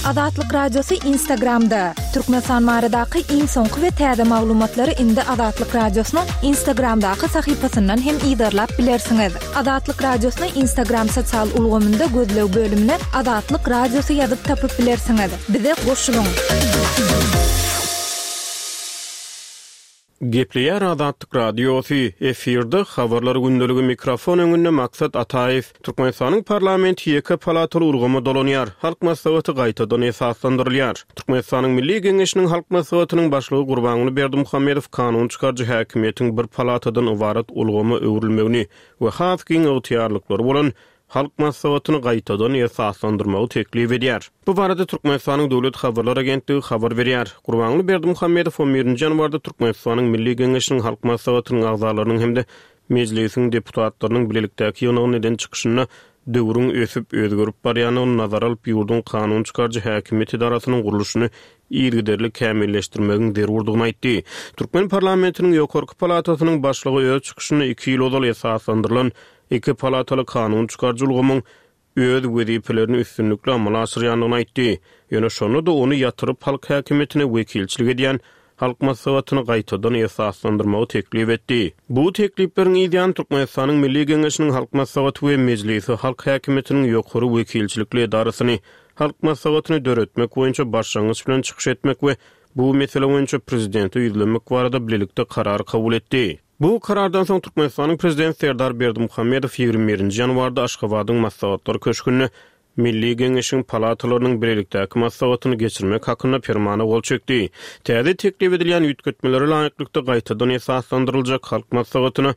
Azatlyk Radiosy Instagramda! Türkmenistan baradaky iň soňky we täze maglumatlary indi Azatlyk Radiosynyň Instagramdaky sahypasyndan hem yzarlap bilersiňiz. Azatlyk Radiosyny Instagram sosial ulgamynda gözleg bölümine Azatlyk Radiosy ýazyp tapyp bilersiňiz. Bize goşulyň! Gepleýär Azatlyk Radiosy, efirde Habarlar gündeligi mikrofon öňünde Maksat Ataýew. Türkmenistanyň parlamenti ýeke palataly ulgama dolanýar, Halk Maslahaty gaýtadan esaslandyrylýar. Türkmenistanyň Milli Geňeşiniň Halk Maslahatynyň Başlygy Gurbanguly Berdimuhamedow kanun çykaryjy häkimiýetiň bir palatadan ybarat ulgama öwrülmegini we has giň ygtyýarlyklary bolan Halk Maslahatyny gaýtadan esaslandyrmagy teklip edýär. Bu barada Türkmenistanyň Döwlet habarlar agentligi habar berýär. Gurbanguly Berdimuhamedow on birinji ýanwarda Türkmenistanyň Milli Geňeşiniň Halk Maslahatynyň agzalarynyň hem-de Mejlisiň deputatlarynyň bilelikdäki ýygnagynda eden çykyşynda döwrüň ösüp, özgerip barýandygyny nazara alyp, ýurduň kanun çykaryjy häkimiýet edarasynyň gurluşyny yzygiderli kämilleşdirmegiň zerurdygyny aýtdy. Türkmen parlamentiniň ýokarky palatasynyň başlygy öz çykyşynda iki ýyl ozal esaslandyrylan Iki palataly kanun çykaryjy ulgamyň öz wezipelerini üstünlikli amala aşyrýandygyny aýtdy. Ýöne şonda-da ony ýatyryp, halk häkimiýetine wekilçilik edýän Halk Maslahatyny gaýtadan esaslandyrmagy teklip etdi. Bu teklipleriň yzýany Türkmenistanyň Milli Geňeşiniň Halk Maslahaty we Mejlisi halk häkimiýetiniň ýokary wekilçilikli edarasyny, Halk Maslahatyny döretmek boýunça başlangyç bilen çykyş etmek we bu mesele boýunça Prezidente ýüzlenmek barada bilelikde karar kabul etdi. Bu karardan soň Türkmenistanyň Prezidenti Serdar Berdimuhamedow 21 nji ýanwarda Aşgabadyň Maslahatlar köşgünde Milli Geňeşiň palatalarynyň bilelikdäki maslahatyny geçirmek hakynda Permana gol çekdi. Täze teklip edilýän üýtgetmelere laýyklykda gaýtadan esaslandyryljak Halk Maslahatyna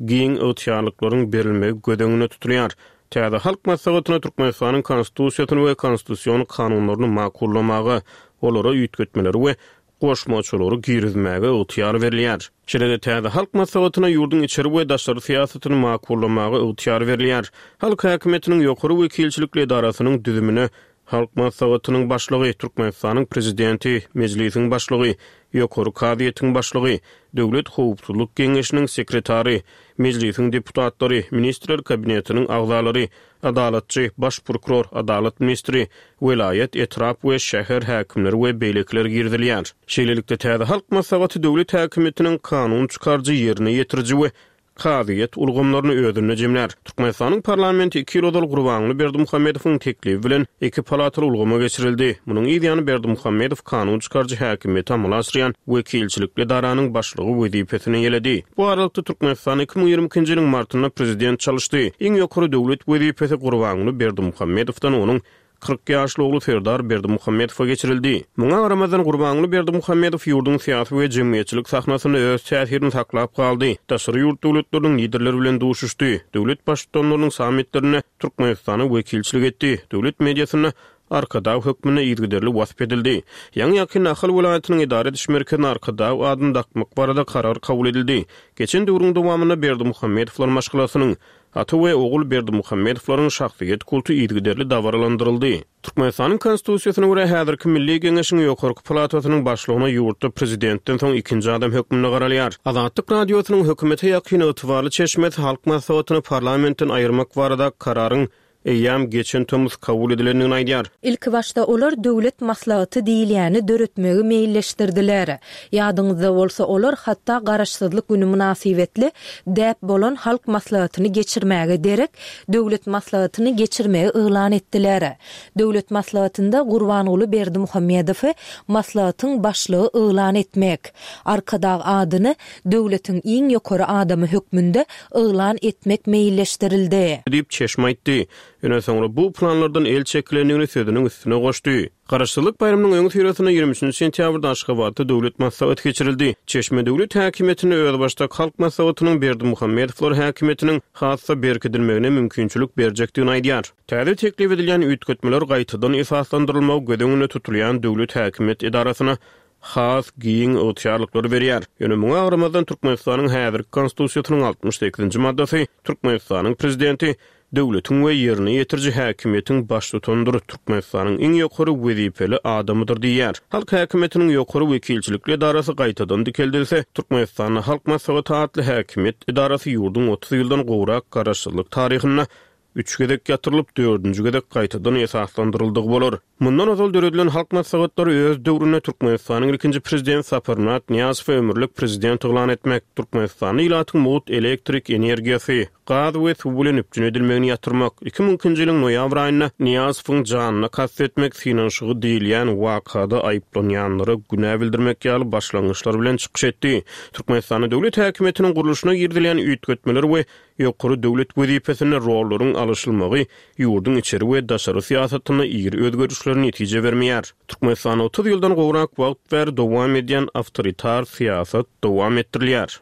giň ygtyýarlyklaryň berilmegi göz öňünde tutulýar. Täze Halk Maslahatyna Türkmenistanyň Konstitusiýasyny we konstitusion kanunlaryny makullamaga, olara üýtgetmeleri we goşmaçalary girizmäge ygtyýar berilýär. Şeýle-de täze Halk Maslahatyna ýurduň içeri we daşary syýasatyny makullamaga ygtyýar berilýär. Halk häkimiýetiniň ýokary wekilçilikli edarasynyň düzümine Halk Maslahatynyň Başlygy, Türkmenistanyň Prezidenti, Mejlisiň Başlygy, Ýokary kazyýetiň Başlygy, Döwlet howpsuzlyk geňeşiniň sekretary, Mejlisiň deputatlary, Ministrler Kabinetiniň agzalary, Adalatçy, baş prokuror, adalat ministri, welaýat, etrap we şäher häkimleri we beýlekiler girizilýär. Şeýlelikde, täze Halk Maslahaty döwlet häkimiýetiniň kanun çykaryjy, ýerine ýetiriji we kazyýet ulgamlaryny özünde jemlär. Türkmenistanyň parlamenti iki ýyl ozal Gurbanguly Berdimuhamedowyň teklibi bilen iki palataly ulgama geçirildi. Munuň yz ýany Berdimuhamedow kanun çykaryjy häkimiýeti amala aşyrýan wekilçilikli edaranyň başlygy wezipesini eýeledi. Bu aralykda, Türkmenistan 2022-nji ýylyň martynda prezident çalyşdy. Iň ýokary döwlet wezipesi Gurbanguly Berdimuhamedowdan onuň 40 ýaşly ogly Serdar Berdimuhamedowa geçirildi. Muňa garamazdan, Gurbanguly Berdimuhamedow ýurduň syýasy we jemgyýetçilik sahnasynda öz täsirini saklap galdy, daşary ýurt döwletleriniň liderleri bilen duşuşdy, döwlet Baştutanlarynyň sammitlerinde Türkmenistana wekilçilik etdi, döwlet mediasynda Arkadag hökmünde yzygiderli wasp edildi. Ýaňy-ýakynda Ahal welaýatynyň edara ediş merkezine Arkadag adyny dakmak barada karar kabul edildi. Geçen döwrüň dowamynda Berdimuhamedowlar maşgalasynyň, ata we ogul Berdimuhamedowlaryň şahsyýet kulty yzygiderli dabaralandyryldy. Türkmenistanyň Konstitusiýasyna görä, häzirki Milli Geňeşiň ýokarky palatasynyň başlygyna ýurtda prezidentden soň ikinji adam hökmünde garalýar. Azatlyk Radiosynyň hökümete ýakyn ygtybarly çeşmesi Halk Maslahatyny parlamentden aýyrmak barada kararyň eýýäm geçen tomus kabul edilendigini aýdýar. Ilkibaşda olar Döwlet maslahaty diýilýäni döretmegi meýilleşdirdiler. Ýadyňyzda bolsa, olar hatda Garaşsyzlyk güni mynasybetli däp bolan Halk maslahatyny geçirmäge derek, Döwlet maslahatyny geçirmegi yglan etdiler. Döwlet maslahatynda Gurbanguly Berdimuhamedowy maslahatyň başlygy yglan etmek, Arkadag adyny döwletiň iň ýokary adamy hökmünde yglan etmek meýilleşdirildi. Diýip, çeşme aýtdy. Ýöne soňra bu planlardan el çekilendigini sözüniň üstüne goşdy. Garaşsyzlyk baýramynyň öňüsyrasynda 23 nji sentýabrda Aşgabatda Döwlet maslahaty geçirildi. Çeşme döwlet häkimiýetinde özbaşdak Halk Maslahatynyň Berdimuhamedowlar häkimiýetiniň has-da berkidilmegine mümkinçilik berjekdigini aýdýar. Täze teklip edilýän üýtgetmeler gaýtadan esaslandyrylmagy göz öňünde tutulýan döwlet häkimiýet edarasyna has giň ygtyýarlyklary berýär. Ýöne muňa garamazdan Türkmenistanyň häzirki Konstitusiýasynyň 68-nji maddasy Türkmenistanyň Prezidenti döwletiň we ýerine ýetiriji häkimiýetiň baştutanydyr, Türkmenistanyň iň ýokary wezipeli adamydyr diýýär. Halk häkimiýetiniň ýokary wekilçilikli edarasy gaýtadan dikeldilse, Türkmenistanda Halk Maslahaty atly häkimiýet edarasy ýurduň 30 ýyldan gowrak garaşsyzlyk taryhynda üç gezek ýatyrylyp, dördünji gezek gaýtadan esaslandyryldygy bolar. Mundan ozal döredilen Halk Maslahatlary öz döwründe Türkmenistanyň ilkinji Prezidenti Saparmyrat Nyýazowy ömürlik Prezident yglan etmek, Türkmenistanda ilatyň mugt elektrik energiýasy, gaz we suw bilen üpjün edilmegini ýatyrmak, 2002-nji ýylyň noýabr aýynda Nyýazowyň janyna kast etmek synanyşygy diýilýän wakada aýyplanýanlara günä bildirmek ýaly başlangyçlar bilen çykyş etdi. Türkmenistanda döwlet häkimiýetiniň gurluşyna girizilýän üýtgetmeler we ýokary döwlet wezipesinde rollaryň alyşylmagy ýurduň içeri we daşary syýasatynda iri özgerişler netije bermeýär. Türkmenistanda 30 ýyldan gowrak wagt bäri dowam edýän awtoritar syýasat dowam etdirilýär.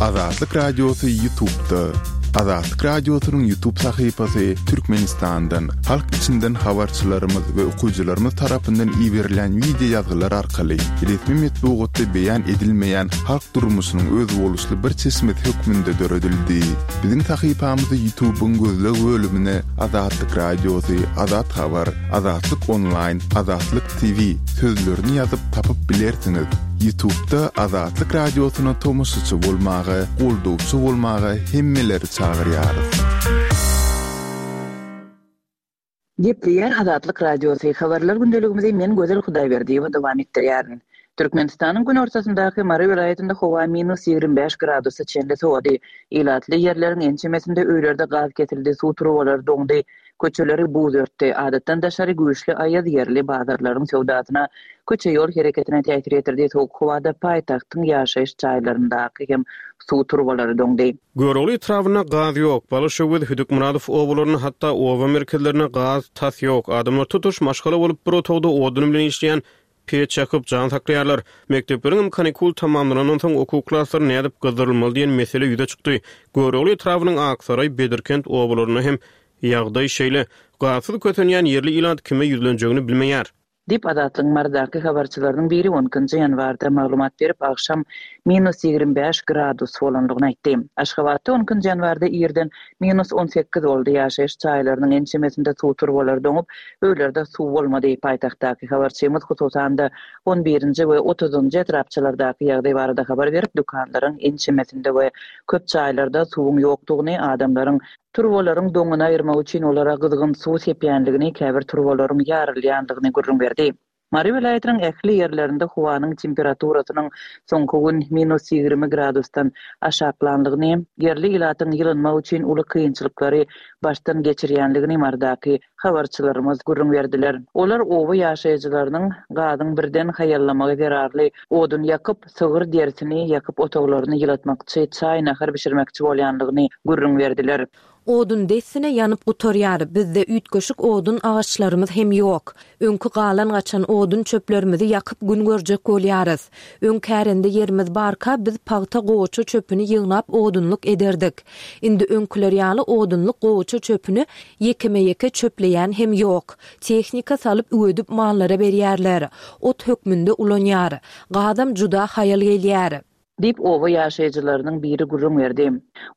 Azatlyk Radiosy Ýutubda. Azatlyk Radiosynyň Ýutub sahypasy Türkmenistandan, halk içinden habarçylarymyz we okyjylarymyz tarapyndan iberilen wideo ýazgylar arkaly resmi metbugatda beýan edilmeýän halk durmuşynyň özboluşly bir çeşmesi hökmünde döredildi. Biziň sahypamyzy Ýutubyň gözleg bölümine Azatlyk Radiosy, Azat Habar, Azatlyk Onlaýn, Azatlyk TV sözlerini ýazyp tapyp bilersiňiz. Ýutubda Azatlyk Radiosyna tomaşaçy bolmaga, goldawçy bolmaga hemmeleri çagyrýarys. Gepleýär Azatlyk Radiosy, Habarlar gündeligimizi men Gözel Hudaýberdiýewa dowam etdirýärin. Türkmenistanyň günortasyndaky Mary welaýatynda howa minus 25 gradusa çenli sowady. Ilatly ýerleriň ençemesinde öýlerde gaz kesildi, suw turbalary doňdy. Köçeleri buz örtdi. Adatdan daşary güýçli aýaz ýerli bazarlaryň söwdasyna, köçe-ýol hereketine täsir ýetirdi, sowuk howada paýtagtyň ýaşaýyş jaýlaryndaky hem suw turbalary doňdy. Görogly etrabynda gaz ýok. Balyşöwez, Hüdükmyradow obalarynda, hatda oba merkezlerinde gaz tas ýok. Adamlar tutuş maşgala bolup bir otagda odun bilen işleýän peç ýakyp, jan saklaýarlar. Mekdepleriňem kanikul tamamlanandan soň okuw klaslary nädip gyzdyrylmaly diýen mesele ýüze çykdy. Görogly etrabynyň Aksaraý, Bedirkent obalarynda hem ýagdaý şeýle. Gazsyz kösenýän ýerli ilat kime ýüzlenjegini bilmeýär. Diýip, Azatlygyň Marydaky habarçylarynyň biri on ikinji ýanwarda maglumat berip, agşam minus 25 gradus bolandygyny aýtdy. Aşgabatda on ikinji ýanwarda irden minus 18 boldy, ýaşaýyş jaýlarynyň ençemesinde suw turbalary doňup, öýlerde suw bolmady. Paýtagtdaky habarçymyz, hususan-da, on birinji we otuzynjy etrapçalardaky ýagdaý barada habar berip, dükanlaryň ençemesinde we köp jaýlarda suwuň ýokdugyny, adamlaryň Turbalaryň doňuny aýyrmak üçin olara gyzgyn suw sepýänligini, käbir turbalaryň ýarylýandygyny gürrüň berdi. Mary welaýatynyň ähli ýerlerinde howanyň temperaturasynyň soňky gün minus 20 gradusdan aşaklanlygyny, ýerli ilatyň ýylynmak üçin uly kynçylyklary başdan geçirýänligini Marydaky habarçylarymyz gürrüň berdiler. Olar oba ýaşaýjylarynyň gazyň birden haýallamagy zerarly odun ýakyp, sygyr derisini ýakyp otaglaryny ýylatmakçy, çaý-nahar bişirmekçi bolýanlygyny gürrüň berdiler. Odun dessine ýanyp gutarýar, bizde üýtgeşik odun agaçlarymyz hem ýok. Öňki galan-gaçan odun çöplerimizi ýakyp gün görjek bolýarys. Öň kärende ýerimiz barka biz pagta gowaça çöpüni ýygnap odunlyk ederdik. Indi öňküler ýaly odunlyk gowaça çöpüni ýekeme-ýeke çöpleýän hem ýok. Tehnika salyp üwedip mallara berýärler. Ot hökmünde ulanýar. Gazam juda haýal gelýär. Diýip, oba ýaşaýjylarynyň biri gürrüň berdi.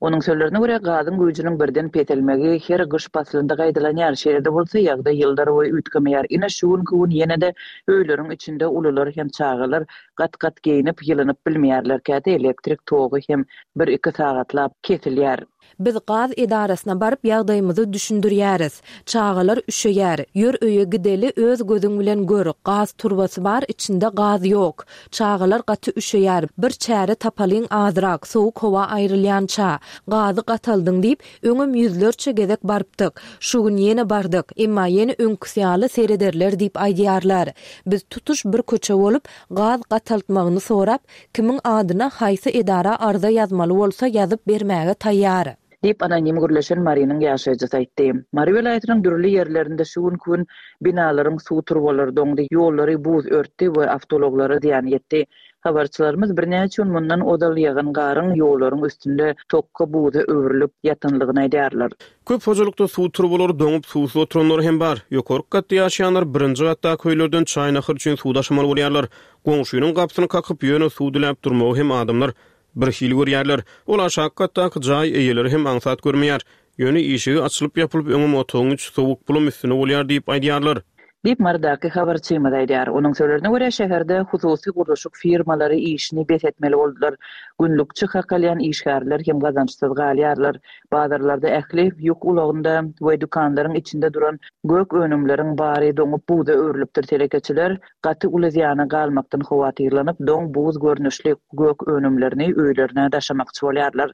Onuň sözlerine görä, gazyň güýjüniň birden peselmegi her gyş paslynda gaýtalanýar. Şeýle-de bolsa, ýagdaý ýyllarboýy üýtgemeýär. Ine, şu günki gün ýene-de öýleriň içinde ulular hem çagalar gat-gat geýnip, ýylynyp bilmeýärler. Käte elektrik togy hem bir-iki sagatlap kesilýär. Biz gaz edarasyna baryp ýagdaýymyzy düşündirýäris. Çagalar üşeýär. Ýör öýe gideli öz gözüň bilen gör, gaz turbasy bar içinde gaz ýok. Çagalar gaty üşeýär. Bir çäre tapalyň azrak, sowuk howa aýrylýança. Gazy gataldyň diýip, öňem ýüzlerçe gezek barypdyk. Şu gün ýene bardyk. Emma ýene öňküsi ýaly serederler diýip aýdýarlar. Biz tutuş bir köçe bolup, gaz gataltmagyny sorap, Kimiň adyna haýsy edara arza ýazmaly bolsa ýazyp bermäge taýýar. Diýip, anonim gürleşen Marynyň ýaşaýjysy aýtdy. Mary welaýatynyň dürli ýerlerinde şu günki gün binalaryň suw turbalary doňdy, ýollary buz örtdi we awtoulaglara zyýan ýetdi. Habarçylarymyz birnäçe gün mundan ozal ýagan garyň ýollaryň üstünde tokga buza öwrülip ýatanlygyny aýdýarlar. Köp hojalykda suw turbalary doňup, suwsuz oturanlar hem bar. Ýokarky gatda ýaşaýanlar birinji gatdaky öýlerden çaý-nahar üçin suw daşamaly bolýarlar. Goňşynyň gapysyny kakyp, ýöne suw diläp durmagy hem adamlar birhili görýärler. Ol aşaky gatdaky jaý eýeleri hem aňsat görmeýär. Ýöne işigi açylyp-ýapylyp öňem otagyň içi sowuk, bulam üstüne bolýar diýip aýdýarlar. Diýip, Marydaky habarçymyz aýdýar. Onuň sözlerine görä, şäherde hususy gurluşyk firmalary işini bes etmeli boldular. Günlükçi hak alýan işgärler hem gazançsyz galýarlar. Bazarlarda ähli ýük ulagynda we dükanlaryň içinde duran gök önümleriň bary doňup buza öwrülipdir. Telekeçiler gaty uly zyýana galmakdan howatyrlanyp, doň buz görnüşli gök önümlerini öýlerine daşamakçy bolýarlar.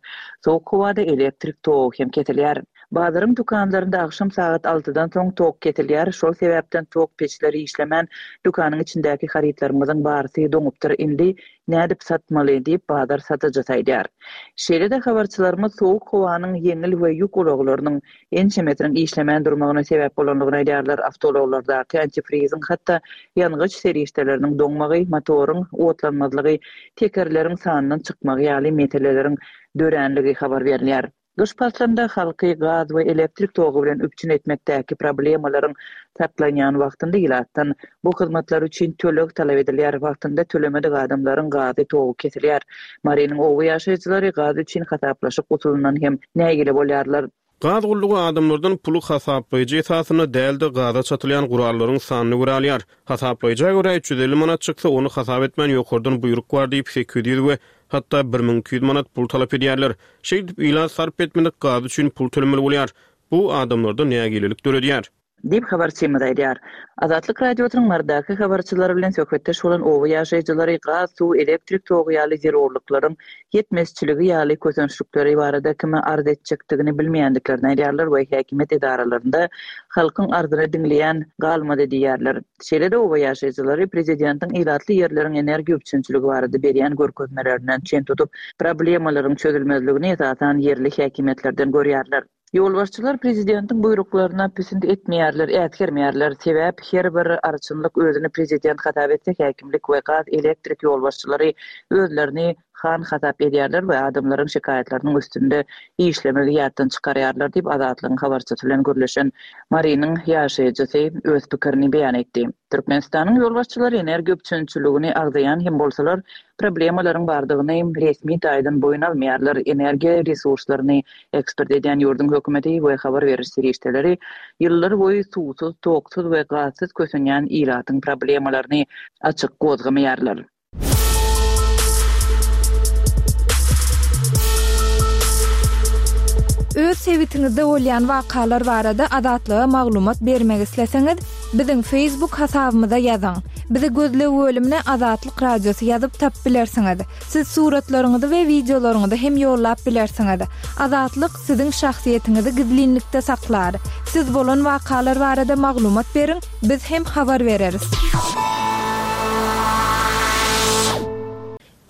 Sowuk howada elektrik togy hem kesilýär. Bazaryň dükanlarynda agşam sagat altydan soň tok kesilýär, şol sebäpden tok peçleri işlemän, dükanyň içindäki harytlarymyzyň barysy doňupdyr, indi nädip satmaly diýip, bazar satyjysy aýdýar. Şeýle-de habarçylarymyz sowuk howanyň ýeňil we ýük ulaglarynyň ençemesiniň işlemän durmagyna sebäp bolandygyny aýdýarlar, awtoulaglardaky antifriziň, hatda ýangyç serişdeleriniň doňmagy, motoryň otlanmazlygy, tekerleriň sandan çykmagy ýaly meseleleriň döränligi habar berilýär. Gyş paslynda halky gaz we elektrik togy bilen üpjün etmekdäki problemalaryň saklanýan wagtynda ilatdan bu hyzmatlar üçin töleg talap edilýär, wagtynda tölemedik adamlaryň gazy, togy kesilýär. Marynyň oba ýaşaýjylary gaz üçin hasaplaşyk usulyndan hem nägile bolýarlar. Gaz gullugy adamlardan puly hasaplaýjy esasynda däl-de, gaza çatylýan gurallaryň sanyna görä alýar. Hasaplaýja görä 350 manat çyksa, ony hasap etmän ýokardan buýruk bar diýip 800 we hatda 1200 manat pul talap edýärler. Şeýdip, ilat sarp etmedik gazy üçin pul tölemeli bolýar. Bu adamlarda nägilelik döredýär. Diýip, habarçymyz aýdýar. Azatlyk Radiosynyň Marydaky habarçylary bilen söhbetdeş bolan oba ýaşaýjylary gaz, suw, elektrik togy ýaly zerurlyklaryň ýetmezçiligi ýaly kösençlikleri barada kime arz etjekdigini bilmeýändiklerini aýdýarlar we häkimiýet edaralarynda halkyň arzyny diňleýän galmady diýýärler. Şeýle-de oba ýaşaýjylary prezidentiň ilatly ýerleriň energiýa üpjünçiligi barada berýän görkezmelerinden çen tutup, problemalaryň çözülmezligini esasan ýerli häkimiýetlerden görýärler. Ýolbaşçylar prezidentiň buýruklaryna pisint etmeýärler, äsgermeýärler. Sebäp her bir arçynlyk özüni prezident hasap etse, häkimlik we gaz, elektrik ýolbaşçylary özlerini han hasap edýärler we adamlaryň şikaýatlarynyň üstünde işlemegi ýatdan çykarýarlar diýip, Azatlygyň habarçysy bilen gürleşen Marynyň ýaşaýjysy öz pikirini beýan etdi. Türkmenistanyň ýolbaşçylary energiýa üpjünçiligini agzaýan hem bolsalar, problemalaryň bardygyny resmi taýdan boýun almaýarlar. Energiýa resurslaryny eksport edýän ýurduň hökümeti we habar beriş serişdeleri ýyllar boýy suwsuz, toksuz we gazsyz kösenýän ilatyň problemalaryny açyk gozgamaýarlar. Öz sebitiňizde bolýan wakalar barada Azatlyga maglumat bermek isleseňiz, biziň Facebook hasabymyza ýazyň. Bizi gözleg bölümine Azatlyk Radiosy ýazyp tapyp bilersiňiz. Siz suratlaryňyzy we wideolaryňyzy hem ýollap bilersiňiz. Azatlyk siziň şahsyýetiňizi gizlinlikde saklar. Siz bolan wakalar barada maglumat beriň, Biz hem habar bereris.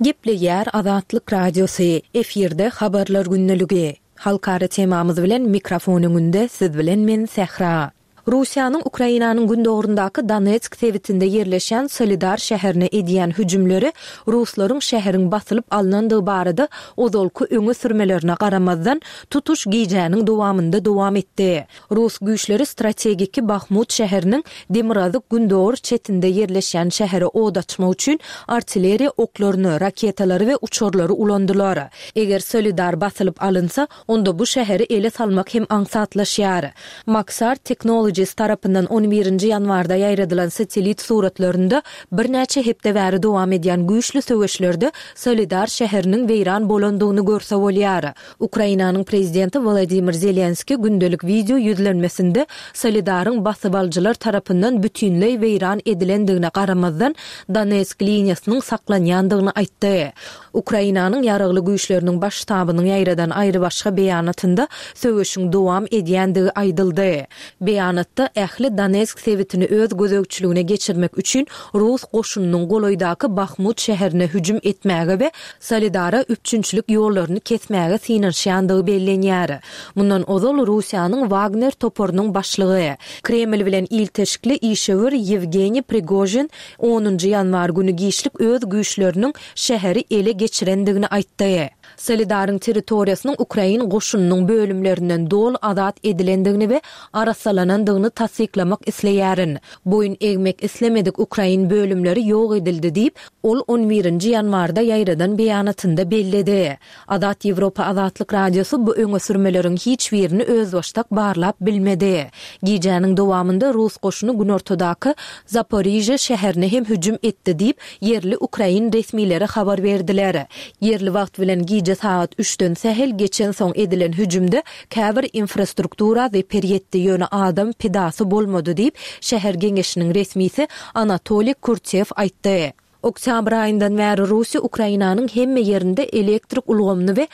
Gepleýär Azatlyk Radiosy, efirde Habarlar gündeligi. Halkara temamyz bilen mikrofon öňünde siz bilen men Sähra. Russiýanyň Ukrainanyň gündogaryndaky Donetsk sebitinde ýerleşýän Solidar şäherine edýän hüjümleri ruslaryň şäheriň basylyp alnandygy barada ozalky öňe sürmelerine garamazdan, tutuş gijäniň dowamynda dowam etdi. Rus güýçleri strategiki Bahmut şäheriniň demirgazyk-gündogar çetinde ýerleşýän şähere od açmak üçin artilleriýa oklaryny, raketalary we uçarlary ulandylar. Eger Solidar basylyp alynsa, onda bu şäheri ele salmak hem aňsatlaşýar. Maxar Technologies tarapyndan on birinji ýanwarda ýaýradylan satellit suratlarynda birnäçe hepde bäri dowam edýän güýçli söweşlerde Solidar şäheriniň weýran bolandygyny görse bolýar. Ukrainanyň prezidenti Wolodymyr Zelenskiý gündelik wideo ýüzlenmesinde Soledaryň basybalyjylar tarapyndan bütinleý weýran edilendigine garamazdan, Donetsk liniýasynyň saklanýandygyny aýtdy. Ukrainanyň Ýaragly Güýçleriniň Baş ştabynyň ýaýradan aýrybaşga beýanatynda söweşiň dowam edýändigi aýdyldy. Beýanatda ähli Donetsk sebitini öz gözegçiligine geçirmek üçin rus goşunynyň golaýdaky Bahmut şäherine hüjüm etmäge we Soledara üpjünçilik ýollaryny kesmäge synanyşýandygy bellenýär. Mundan ozal Russiýanyň Wagner toparynyň başlygy, Kreml bilen ilteşikli işewür Ýewgeniý Prigožin onunjy ýanwar güni giçlik öz güýçleriniň şäheri ele geçirendigini aýtdy. Soledaryň territoriýasynyň ukrain goşunynyň bölümlerinden doly azat edilendigini we arassalanandygyny tassyklamak isleýärin. Boýun egmek islemedik ukrain bölümleri ýok edildi diýip, ol on birinji ýanwarda ýaýradan beýanatynda belledi. Azat Ýewropa Azatlyk Radiosy bu öňe sürmeleriň hiç birini özbaşdak barlap bilmedi. Gijäniň dowamynda rus goşuny günortadaky Zaporižýa şäherine hem hüjüm etdi diýip, ýerli ukrain resmileri habar berdiler. Ýerli wagt bilen gije sagat üçden sähel geçensoň edilen hüjümde käbir infrastruktura zeper ýetdi, ýöne adam pidasy bolmady diýip, şäher geňeşiniň resmisi Anatoliý Kurtew aýtdy. Oktýabr aýyndan bäri Russiýa Ukrainanyň hemme ýerinde elektrik ulgamyny we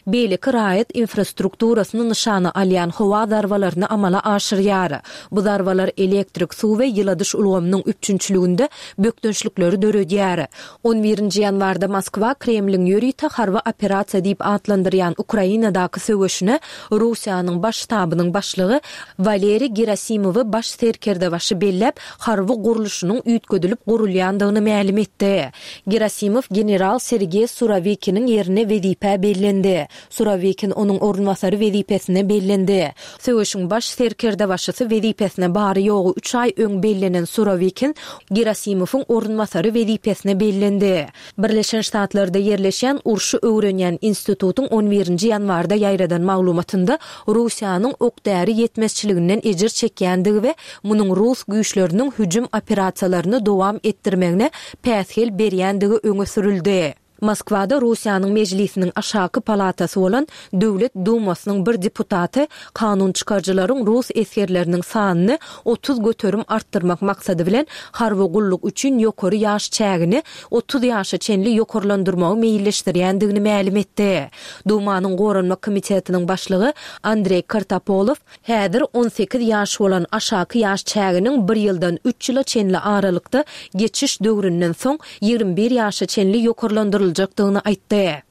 beýleki raýat infrastrukturasyny nyşana alýan howa zarbalaryny amala aşyrýar. Bu zarbalar elektrik, suw we ýyladyş ulgamynyň üpjünçiliginde bökdençlikleri döredýär. On birinji ýanwarda Moskwa Kremliň ýörite harby operasiýa diýip atlandyrýan Ukrainadaky söweşine Russiýanyň Baş ştabynyň başlygy Waleriý Gerasimowy baş serkerdebaşy belläp, harby gurluşynyň üýtgedilip gurulýandygyny mälim etdi. Gerasimow general Sergeý Surawikiniň ýerine wezipä bellendi. Surawikin onuň orunbasary wezipesine bellendi. Söweşiň baş serkerdebaşysy wezipesine bary-ýogy üç aý öň bellenen Surawikin Gerasimowyň orunbasary wezipesine bellendi. Birleşen Ştatlarda ýerleşýän urşy öwrenýän institutyň on birinji ýanwarda ýaýradan maglumatynda Russiýanyň ok-däri ýetmezçiliginden ejir çekýändigi we munuň rus güýçleriniň hüjüm operasiýalaryny dowam etdirmegine päsgel berýändigi öňe sürüldi. Moskwada Russiýanyň Mejlisiniň aşaky palatasy bolan Döwlet Dumasynyň bir deputaty kanun çykaryjylaryň rus esgerleriniň sanyny 30% artdyrmak maksady bilen harby gulluk üçin ýokary ýaş çägini 30 ýaşa çenli ýokarlandyrmagy meýilleşdirýändigini mälim etdi. Dumanyň Goranmak komitetiniň başlygy Andreý Kartapolow Häzir 18 ýaş bolan aşaky ýaş çäginiň bir ýyldan üç ýyla çenli aralykda geçiş döwründen soň 21 ýaşa çenli ýokarlandyryljakdygyny aýtdy.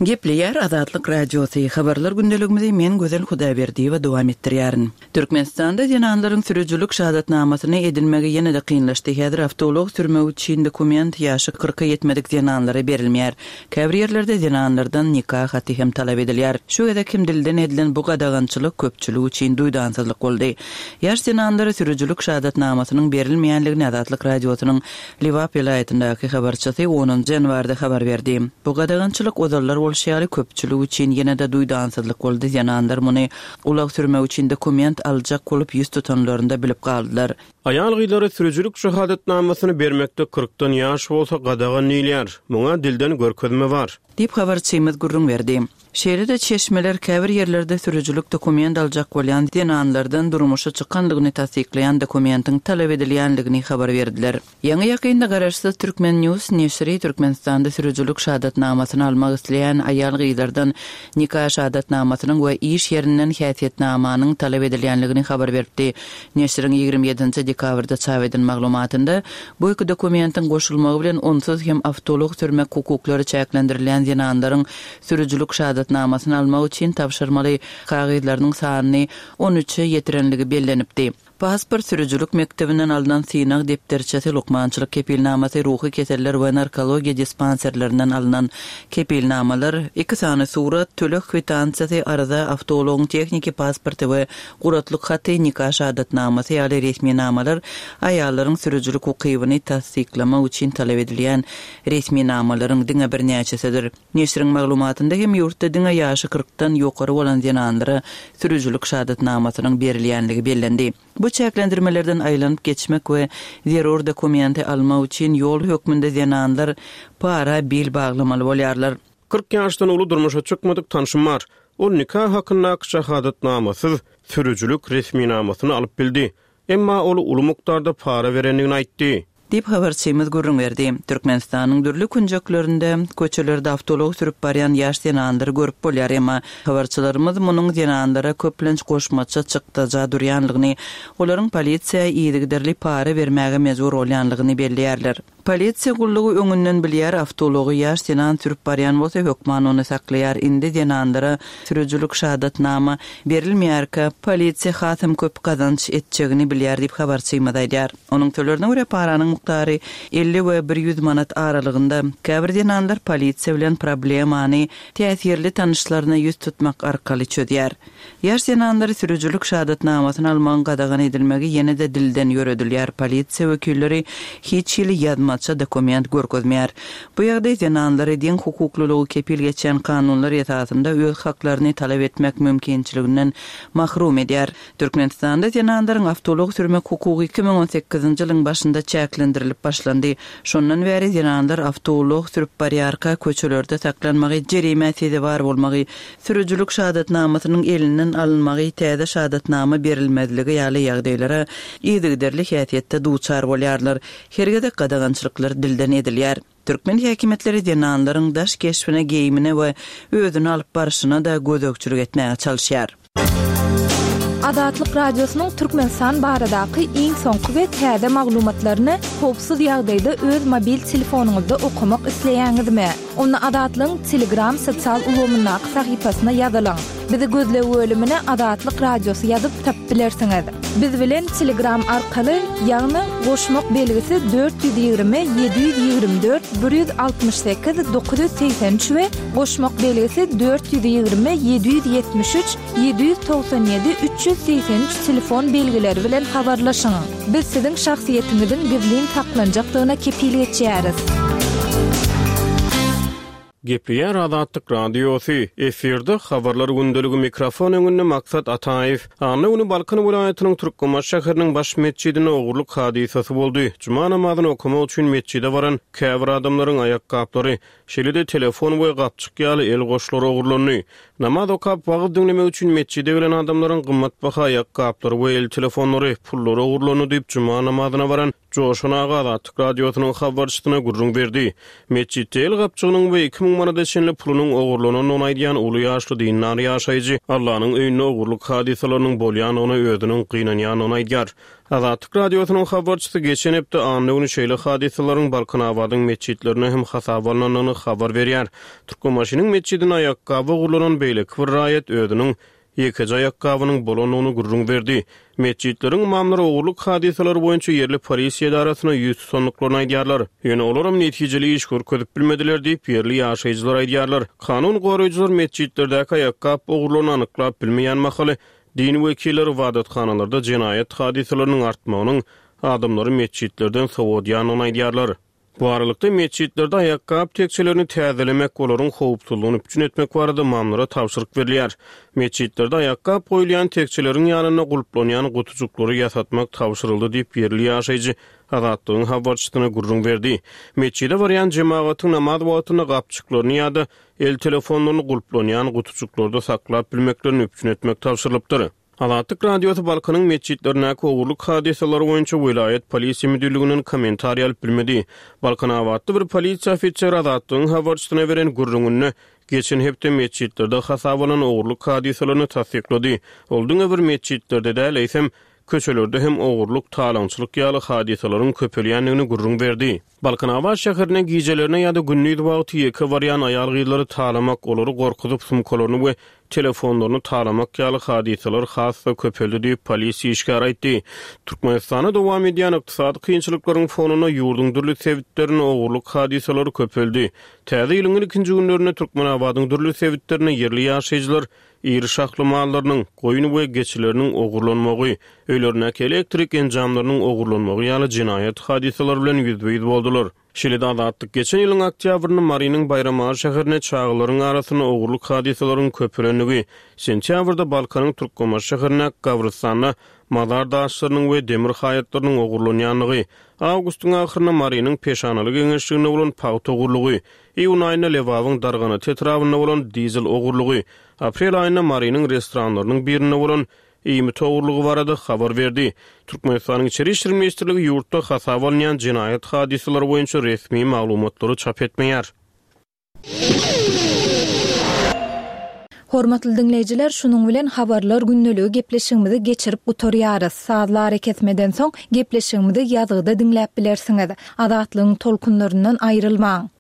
Gepleýär Azatlyk Radiosy, Habarlar gündeligimizi men Gözel Hudaýberdiýewa dowam etdirýärin. Türkmenistanda zenanlaryň sürüjilik şahadatnamasyny edinmegi ýene-de kynlaşdy. Häzir awtoulag sürmek üçin dokument ýaşy kyrka ýetmedik zenanlara berilmeýär. Käbir ýerlerde zenanlardan nika haty hem talap edilýär. Şu gezek hem dilden edilen bu gadagançylyk köpçülik üçin duýdansyzlyk boldy. Ýaş zenanlara sürüjilik şahadatnamasynyň berilmeýänligini Azatlyk Radiosynyň Lebap welaýatyndaky habarçysy onunjy ýanwarda habar berdi. Bu gadagançylyk ozallar bolşy ýaly köpçülik üçin ýene-de duýdansyzlyk boldy, zenanlar muny ulag sürmek üçin dokument aljak bolup ýüz tutanlarynda bilip galdylar. Aýal-gyzlara sürüjilik şahadatnamasyny bermekde kyrkdan ýaş bolsa gadagan diýilýär. Muňa dilden görkezme bar. Diýip, habarçymyz gürrüň berdi. Şeýle-de çeşmeler käbir ýerlerde sürüjilik dokument aljak bolýan zenanlardan durmuşa çykandygyny tassyklaýan dokumentiň talap edilýändigini habar berdiler. Ýaňy-ýakynda garaşsyz Turkmen News neşiri Türkmenistanda sürüjilik şahadatnamasyny almak isleýän aýal-gyzlardan nika şahadatnamasynyň we iş ýerinden häsiýetnamanyň talap edilýändigini habar beripdi. Neşiriň 27 dekabrda çap eden maglumatynda bu iki dokumentiň goşulmagy bilen onsuz hem awtoulag sürmek hukuklary çäklendirilýän zenanlaryň sürüjilik şahadatnamasyny almak üçin tabşyrmaly kagyzlarynyň sanyny on üçe ýetirenligi bellenipdi. Pasport, sürüjilik mekdebinden alnan synag depderçesi, lukmançylyk kepilnamasy, ruhy keseller we narkologiýa dispanserlerinden alnan kepilnamalar, iki sany surat, töleg kwitansiýasy, arza, awtoulagyň tehniki pasporty we guratlyk haty, nika şahadatnamasy ýaly resminamalar aýallaryň sürüjilik ukybyny tassyklamak üçin talap edilýän resminamalaryň diňe birnäçesidir. Neşiriň maglumatynda hem ýurtda diňe ýaşy kyrkdan ýokary bolan zenanlara sürüjilik şahadatnamasynyň berilýänligi bellendi. Bu çäklendirmelerden aýlanyp geçmek we zerur dokumenti almak üçin ýol hökmünde zenanlar para bil baglamaly bolýarlar. 40 ýaşdan uly durmuşa çykmadyk tanşym bar. Ol nika hakyndaky şahadatnamasyz sürüjilik resminamasyny alyp bildi. Emma ol uly mukdarda para berendigini aýtdy. Diýip, habarçymyz gürrüň berdi. Türkmenistanyň dürli künjeklerinde, köçelerde awtoulag sürüp barýan ýaş zenanlary görüp bolýar, emma habarçylarymyz munuň zenanlara köplenç goşmaça çykdaja durýanlygyny, olaryň polisiýa yzygiderli para bermäge mejbur bolýanlygyny belleýärler. Polisiýa gullugy öňünden bilýär, awtoulagy ýaş zenan sürüp barýan bolsa hökman ony saklaýar. Indi zenanlara sürüjilik şahadatnama berilmeýärkä, polisiýa hasam köp gazanç etjegini bilýär diýip habarçymyz aýdýar. Onuň sözlerine görä, paranyň mukdary 50 we 100 manat aralygynda. Käbir zenanlar polisiýa bilen problemany täsirli tanyşlaryna ýüz tutmak arkaly çözýär. Ýaş zenanlary sürüjilik şahadatnamasyny almagyň gadagan edilmegi ýene-de dilden ýöredilýär, polisiýa wekilleri hiç hili ýazmaça dokument görkezmeýär. Bu ýagdaý zenanlary deň hukuklylygy kepil geçýän kanunlar esasynda öz haklaryny talap etmek mümkinçiliginden mahrum edýär. Türkmenistanda zenanlaryň awtoulag sürmek hukugy 2018-nji ýylyň başynda çäklendirilip başlandy. Şondan bäri zenanlar awtoulag sürüp barýarka köçelerde saklanmagy, jerimä sezewar bolmagy, sürüjilik şahadatnamasynyň elinden alynmagy, täze şahadatnama berilmezligi ýaly ýagdaýlara yzygiderli häsiýetde duçar bolýarlar. Her gezek gadagançylyklar dilden edilýär. Türkmen häkimiýetleri zenanlaryň daş keşbine, geýimine we özüni alyp barşyna-da gözegçilik etmäge çalyşýar. Azatlyk Radiosynyň Türkmenistan baradaky iň soňky we täze maglumatlaryny howpsuz ýagdaýda öz mobil telefonyňyzda okamak isleýäňizmi? Onda Azatlygyň Telegram sosial ulgamyndaky sahypasyna ýazylyň. Bizi gözleg bölümine Azatlyk Radiosy ýazyp tapyp bilersiňiz. Biz bilen Telegram arkaly, ýagny goşmak belgisi 420 724 168 983 we goşmak belgisi 420 773 797 383 telefon belgileri bilen habarlaşyň. Biz siziň şahsyýetiňiziň gizlin saklanjakdygyna kepil geçýäris. Gepleýär Azatlyk Radiosy, efirde Habarlar gündeligi mikrofon öňünde Maksat Ataýew. Anna güni Balkan welaýatynyň Türkmenbaşy şäheriniň baş metjidinde ogurlyk hadysasy boldy. Juma namazyny okamak üçin metjide baran käbir adamlaryň aýakgaplary, Şeýle-de telefon we gapjyk ýaly el goşlary ogurlandy. Namaz okap, wagyz diňlemek üçin metjide gelen adamlaryň gymmatbaha aýakgaplary we el telefonlary, pullary ogurlandy diýip, juma namazyna baran Joşan aga Azatlyk Radiosynyň habarçysyna gürrüň berdi. Metjitde el gapjygynyň we 2000 manada çenli pulunyň ogurlanandygyny aýdýan uly ýaşly dindar ýaşaýjy Allanyň öýünde ogurlyk hadysalarynyň bolýandygyna özüniň gynanýandygyny aýdýar. Azatlyk Radiosynyň habarçysy geçen hepde anna güni şeýle hadysalaryň Balkanabadyň metjitlerinde hem hasaba alnandygyny habar berýär. Türkmenbaşynyň metjidinde aýakgaby ogurlanan beýleki bir raýat özüniň ýekeje aýakgabynyň bolandygyny gürrüň berdi. Metjitleriň ymamlary ogurlyk hadysalary boýunça ýerli polisiýa edarasyna ýüz tutandyklaryny aýdýarlar. Ýöne olaram netijeli iş görkezip bilmediler diýip, ýerli ýaşaýjylar aýdýarlar. Kanun goraýjylar metjitlerdäki aýakgap ogurlaryny anyklap bilmeýän mahaly, Din wekilleri ybadathanalarda jenaýat hadysalarynyň artmagynyň adamlary metjitlerden sowadýandygyny aýdýarlar. Bu aralykda, metjitlerde aýakgap tekjelerini täzelemek, olaryň howpsuzlygyny üpjün etmek barada ymamlara tabşyryk berilýär. Metjitlerde aýakgap goýulýan tekjeleriň ýanynda gulplanýan gutujyklary ýasatmak tabşyryldy diýip, ýerli ýaşaýjy Azatlygyň habarçysyna gürrüň berdi. Metjide barýan jemagatyň namaz wagtynda gapjyklaryny ýa-da el telefonlaryny gulplanýan gutujyklarda saklap bilmeklerini üpjün etmek tabşyrylypdyr. Azatlyk Radiosy Balkanyň metjitlerindäki ogurlyk hadysalary boýunça welaýat polisiýa müdirliginden kommentariý alyp bilmedi. Balkanabatly bir polisiýa ofiseri Azatlygyň habarçysyna beren gürrüňinde geçen hepde metjitlerde hasaba alnan ogurlyk hadysalaryny tassyklady. Ol diňe bir metjitlerde däl, eýsem, köçelerde hem ogurlyk, talaňçylyk ýaly hadysalaryň köpelýändigini gürrüň berdi. Balkanabat şäherine gijelerine ýa-da gündiz wagty ýeke barýan aýal-gyzlary talamak, olary gorkuzyp sumkalaryny we telefonlaryny talamak ýaly hadysalar has-da köpeldi diýip, polisiýa işgäri aýtdy. Türkmenistanda dowam edýän ykdysady kynçylyklaryň fonunda ýurduň dürli sebitlerinde ogurlyk hadysalary köpeldi. Täze ýylyň ilkinji günlerinde Türkmenabadyň dürli sebitlerinde ýerli ýaşaýjylar Iri şahly mallarynyň, goýun we geçileriniň ogurlanmagy, öýlerindäki elektrik enjamlarynyň ogurlanmagy ýaly jenaýat hadysalary bilen ýüzbe-ýüz boldular. Şeýle-de Azatlyk geçen ýylyň oktýabrynda Marynyň Baýramaly şäherinde çagalaryň arasynda ogurlyk hadysalaryň köpelendigi, sentýabrda Balkanyň Türkmenbaşy şäherindäki gabrystanda mazar daşlarynyň we demir haýatlarynyň ogurlanýandygy, awgustyň ahyrynda Marynyň Peşanaly geňeşliginde bolan pagta ogurlygy, Iýun aýynda Lebabyň Darganata etrabynda bolan dizel ogurlygy, aprel aýynda Marynyň restoranlarynyň birinde bolan iýmit ogurlygy barada habar berdi. Türkmenistanyň Içeri işler ministrligi ýurtda hasaba alynýan jenaýat hadysalary boýunça resmi maglumatlary çap etmeýär. Hormatly diňleýjiler, şunuň bilen Habarlar gündeligi gepleşigimizi geçirip gutarýarys. Sazly arakesmeden soň gepleşigimizi ýazgyda diňläp bilersiňiz. Azatlygyň tolkunlaryndan aýrylmaň!